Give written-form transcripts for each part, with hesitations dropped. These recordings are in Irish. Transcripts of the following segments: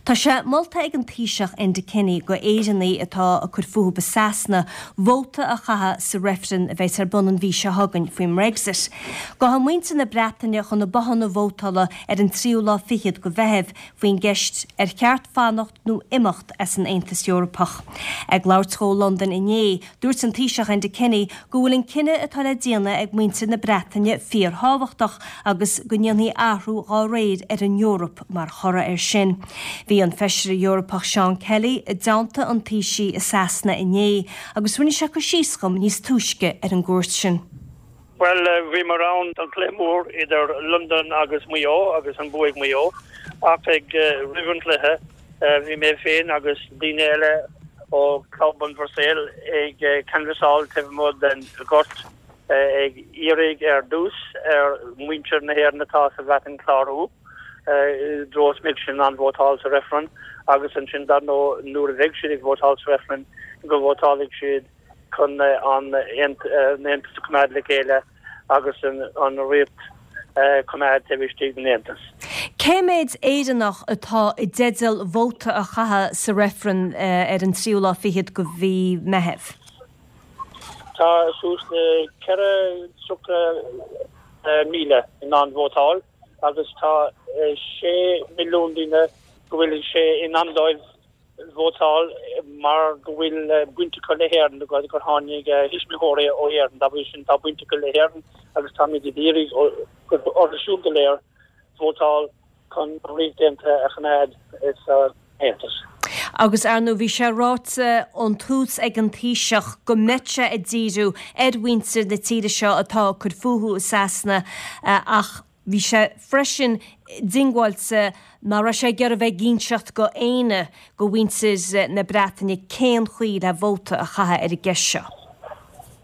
Tá sé molta ag an Taoiseach Enda Kenny go Éireannaigh atá ag cur fúthu i Sasana vóta a chaitheamh sa reifreann a bheas ar bun an mhí seo chugainn faoin mBrexit. Gabhfaidh muintir na Breataine chun na bothanna vótála ar an tríú lá fichead go Mheitheamh faoin gceist ar cheart fanacht nó imeacht as an Aontas Eorpach. Ag labhairt dhó i Londain inné, dúirt an Taoiseach Enda Kenny go bhfuil an cinneadh atá le déanamh ag muintir na Breataine fíorthábhachtach agus go ndéanfaí athrú dhá réir ar an Eoraip mar thoradh air sin. Bhí an Feisire Eorpach Seán Kelly i dteannta an Taoisigh i Sasana inné agus rinne sé cur síos dhom níos túisce ar an gcuairt sin. Bhuel, bhíomar ann don chluiche mór idir Londain agus Maigh Eo agus an bua ag Maigh Eo. Ach ag roimh an chluiche, bhí mé féin agus daoine eile ó Club an Bhruiséil ag canbhasáil taobh amuigh den ghort ag iarraidh ar dtús ar mhuintir na hÉireann atá sa Bhreatain clárú i dtreo is mbeidh siad in ann vótáil sa reifreann agus ansin dar ndóigh nuair a bheidh siad ag vótáil sa reifreann go vótálfaidh siad chun an tAontas a choimeád le chéile agus an Ríocht a choimeád taobh istigh den Aontas. Cé méid Éireannach atá i dteideal vóta a chaitheamh sa reifreann ar an tríú lá fichead go mhí Meitheamh? Tá suas le 430,000 in ann vótáil agus tá 6 milliún duine go bhfuil sé in am dóibh vótáil mar go bhfuil baint acu le hÉirinn agus gur tháinig a thuismitheoirí ó Éirinn. Dá bhrí sin tá baint acu le hÉirinn agus táimid ag iarraidh orthu siúd go léir vótáil chun an Ríocht Aontaithe a choimeád san Aontas. Agus ar ndóigh bhí sé ráite ón tús ag an Taoiseach go mbeadh sé ag díriú ar mhuintir na tíre seo atá ag cur fúthu i Sasana ach Bhí sé freisin diongbháilte nach raibh sé ag iarraidh bheith ag inseacht go éinne go mhuintir na Breataine cén chaoi le vóta a chaitheamh ar an gceist seo.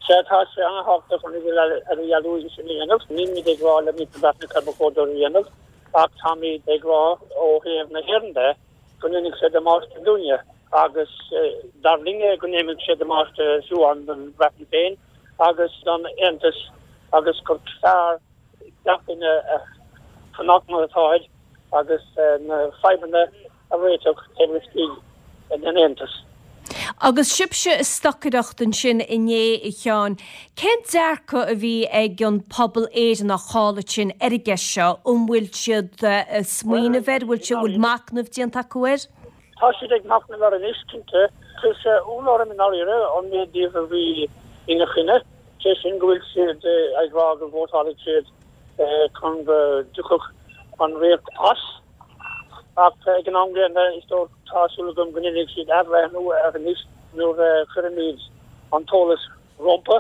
Sea, tá sé an-thábhachtach an idirdhealú sin a dhéanamh. Nílimid ag rá le muintir na Breataine cad ba chóir dóibh a dhéanamh ach táimid ag rá ó thaobh na hÉireann de go ndéanfaidh sé damáiste dúinne agus dar linne go ndéanfaidh sé damáiste fiú amháin don Bhreatain féin agus don Aontas agus gur fearr gach duine a fanacht mar atáid agus na fadhbanna a réiteach taobh istigh den Aontas. Agus sibhse ag stocaireacht ansin inné, a Sheáin, cén dearcadh a bhí ag an pobal Éireannach thall ansin ar an gceist seo? An bhfuil siad ag smaoineamh air? An bhfuil machnamh déanta acu air? Tá siad ag machnamh air anois, cinnte. Chuir sé ionadh orm i ndáiríre an méid díobh a bhí ina choinne, sé sin go bhfuil siad ag rá go vótálfaidh siad chun go dtiocfadh an Ríocht as. Ach ag an am gcéanna, is dóigh, tá súil agam go ndéanfaidh siad athbhreithniú air anois nuair a chuirimid an t-eolas rompu.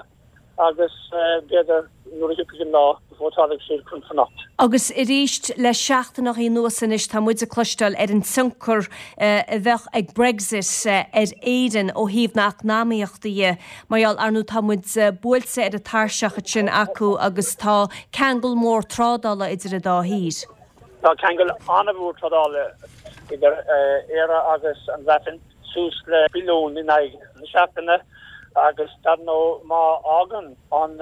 agus b'fhéidir nuair a thiocfaidh an lá, vótálfaidh siad chun fanacht. Agus arís, le seachtaineachaí anuas anois, tá muid ag cloisteáil ar an tionchar a bheadh ag Brexit ar Éirinn ó thaobh na heacnamaíochta dhe. Mar gheall, ar ndóigh, tá muid buailte ar an tairseach ansin acu agus tá ceangal mór trádála idir an dá thír. Tá ceangal an-mhór trádála idir Éire agus an Bhreatain, suas le billiún in aghaidh na seachtaine. Agus dar ndóigh má fhágann an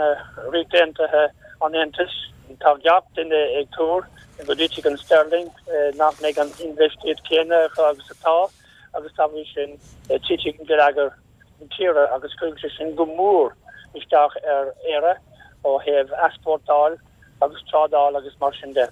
Ríocht Aontaithe an Aontas, tá gach duine ag tuar go dtitfidh an sterling, nach mbeidh an infheistíocht chéanna acu agus atá, agus dá bhrí sin titfidh geilleagar na tíre agus cuirfidh sé sin go mór isteach ar Éire ó thaobh easpórtáil agus trádáil agus mar sin de.